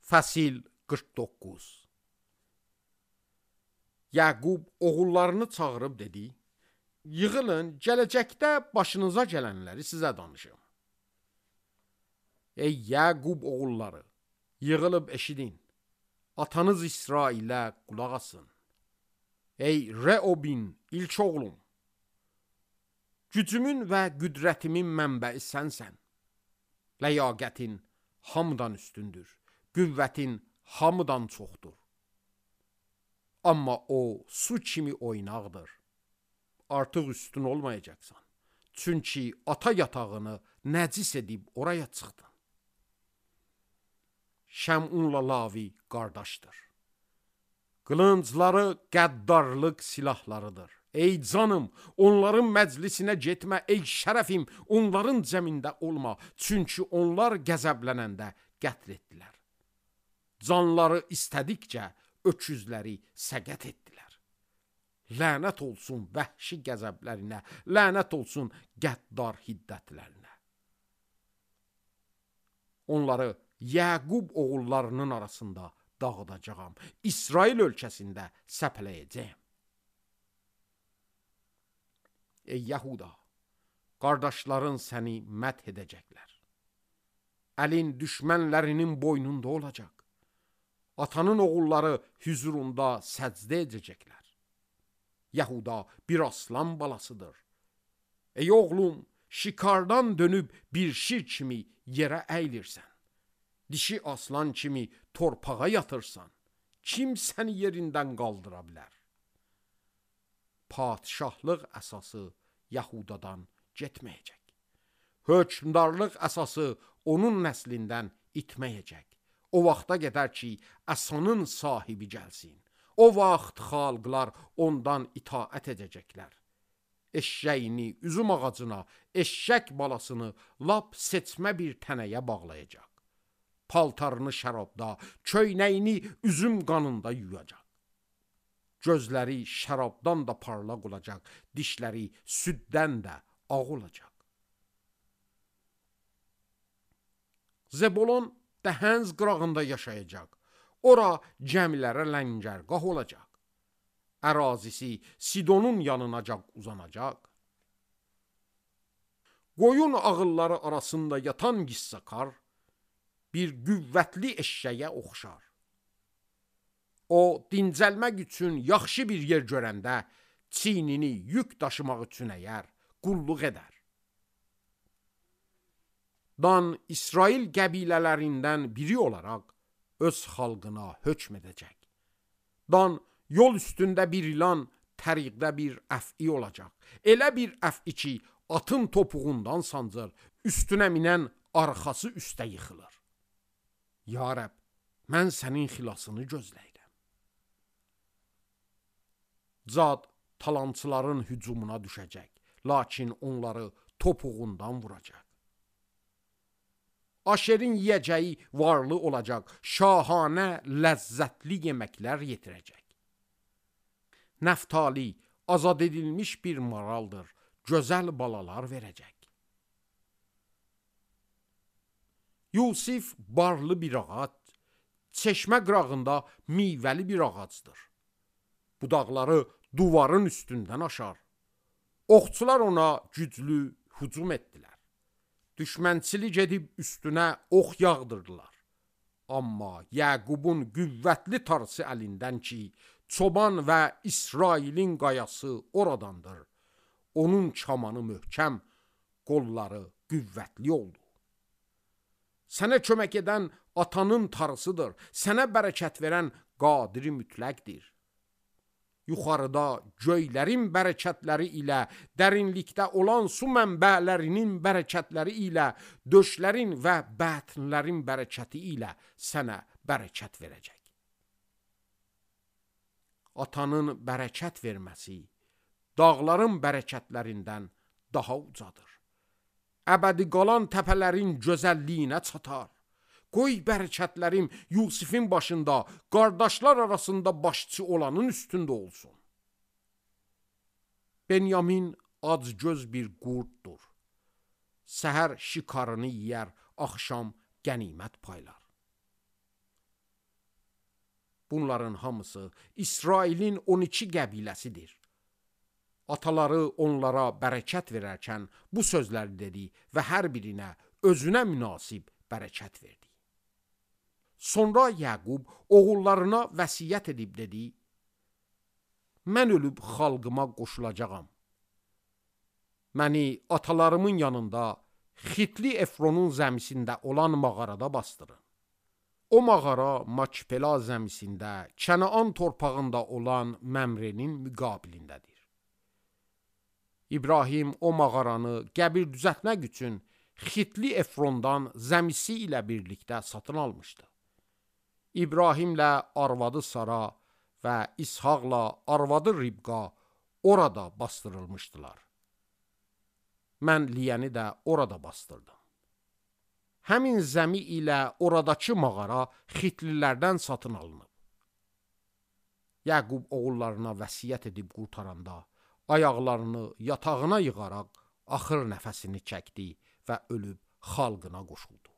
Fəsil 49. Yaqub oğullarını çağırıb dedi: Yığılın, gələcəkdə başınıza gələnləri sizə danışım. Ey Yaqub oğulları, yığılıb eşidin. Atanız İsrailə qulaq asın. Ey Reobin, ilk oğlum, gücümün və qüdrətimin mənbəyi sənsən. Ləyaqətin hamıdan üstündür, qüvvətin hamıdan çoxdur. Amma o su kimi oynaqdır. Artıq üstün olmayacaqsan. Çünki ata yatağını nəcis edib oraya çıxdın. Şəmunla Lavi qardaşdır. Qılıncları qəddarlıq silahlarıdır. Ey canım, onların məclisinə getmə, ey şərəfim, onların cəmində olma. Çünki onlar qəzəblənəndə qətl etdilər. Canları istədikcə öküzləri səqət etdilər. Lənət olsun vəhşi qəzəblərinə, lənət olsun qəddar hiddətlərinə. Onları Yaqub oğullarının arasında dağıdacağam, İsrail ölkəsində səpələyəcəyəm. Ey Yahuda, qardaşların səni məth edəcəklər. Əlin düşmənlərinin boynunda olacaq. Atanın oğulları hüzurunda səcdə edəcəklər. Yahuda bir aslan balasıdır. Ey oğlum, şikardan dönüb bir şir kimi yerə əylirsən. Dişi aslan kimi torpağa yatırsan. Kim səni yerindən qaldıra bilər? Padişahlıq əsası Yahudadan getməyəcək. Hökmdarlıq əsası onun nəslindən itməyəcək. O vaxta qədər ki, əsanın sahibi gəlsin. O vaxt xalqlar ondan itaət edəcəklər. Eşşəyini üzüm ağacına, eşşək balasını lap seçmə bir tənəyə bağlayacaq. Paltarını şərabda, köynəyini üzüm qanında yuyacaq. Gözləri şərabdan da parlaq olacaq, dişləri süddən də ağ olacaq. Zebulon Dəhənz qırağında yaşayacaq. Ora cəmilərə ləngərgah olacaq. Ərazisi Sidonun yanınacaq uzanacaq. Qoyun ağılları arasında yatan qissakar bir qüvvətli eşşəyə oxşar. O, dincəlmək üçün yaxşı bir yer görəndə çiynini yük daşımaq üçün əyər, qulluq edər. Dan İsrail qəbilələrindən biri olaraq öz xalqına hökm edəcək. Dan yol üstündə bir ilan, təriqdə bir əf'i olacaq. Elə bir əf'i ki, atın topuğundan sancır, üstünə minən arxası üstə yıxılır. Ya Rəbb, mən sənin xilasını gözləyirəm. Cad talançıların hücumuna düşəcək, lakin onları topuğundan vuracaq. Aşerin yiyəcəyi varlı olacaq, şahanə, ləzzətli yeməklər yetirəcək. Nəftali azad edilmiş bir maraldır, gözəl balalar verəcək. Yusif barlı bir ağac, çeşmə qırağında meyvəli bir ağacdır. Budaqları duvarın üstündən aşar. Oxçular ona güclü hücum etdilər. Düşmənçilik edib üstünə ox yağdırdılar. Amma Yaqubun qüvvətli tarısı əlindən ki, çoban və İsrailin qayası oradandır. Onun kamanı möhkəm, qolları qüvvətli oldu. Sənə kömək edən atanın tarısıdır. Sənə bərəkət verən qadiri mütləqdir. Yuxarıda göylərin bərəkətləri ilə, dərinlikdə olan su mənbələrinin bərəkətləri ilə, döşlərin və bətnlərin bərəkəti ilə sənə bərəkət verəcək. Atanın bərəkət verməsi dağların bərəkətlərindən daha ucadır. Əbədi qalan təpələrin gözəlliyinə çatar. Qoy bərəkətlərim Yusifin başında, qardaşlar arasında başçı olanın üstündə olsun. Benyamin acgöz bir qurddur. Səhər şikarını yiyər, axşam qənimət paylar. Bunların hamısı İsrailin 12 qəbiləsidir. Ataları onlara bərəkət verərkən bu sözləri dedi və hər birinə özünə münasib bərəkət verdi. Sonra Yaqub oğullarına vəsiyyət edib dedi: Mən ölüb xalqıma qoşulacağam. Məni atalarımın yanında Xitli Efronun zəmisində olan mağarada bastırın. O mağara Makpela zəmisində, Kənaan torpağında olan Məmrenin müqabilindədir. İbrahim o mağaranı qəbir düzəltmək üçün Xitli Efrondan zəmisi ilə birlikdə satın almışdı. İbrahimlə arvadı Sara və İshaqla arvadı Ribqa orada bastırılmışdılar. Mən Liyəni də orada bastırdım. Həmin zəmi ilə oradakı mağara Xitlilərdən satın alınıb. Yaqub oğullarına vəsiyyət edib qurtaranda ayaqlarını yatağına yığaraq axır nəfəsini çəkdi və ölüb xalqına qoşuldu.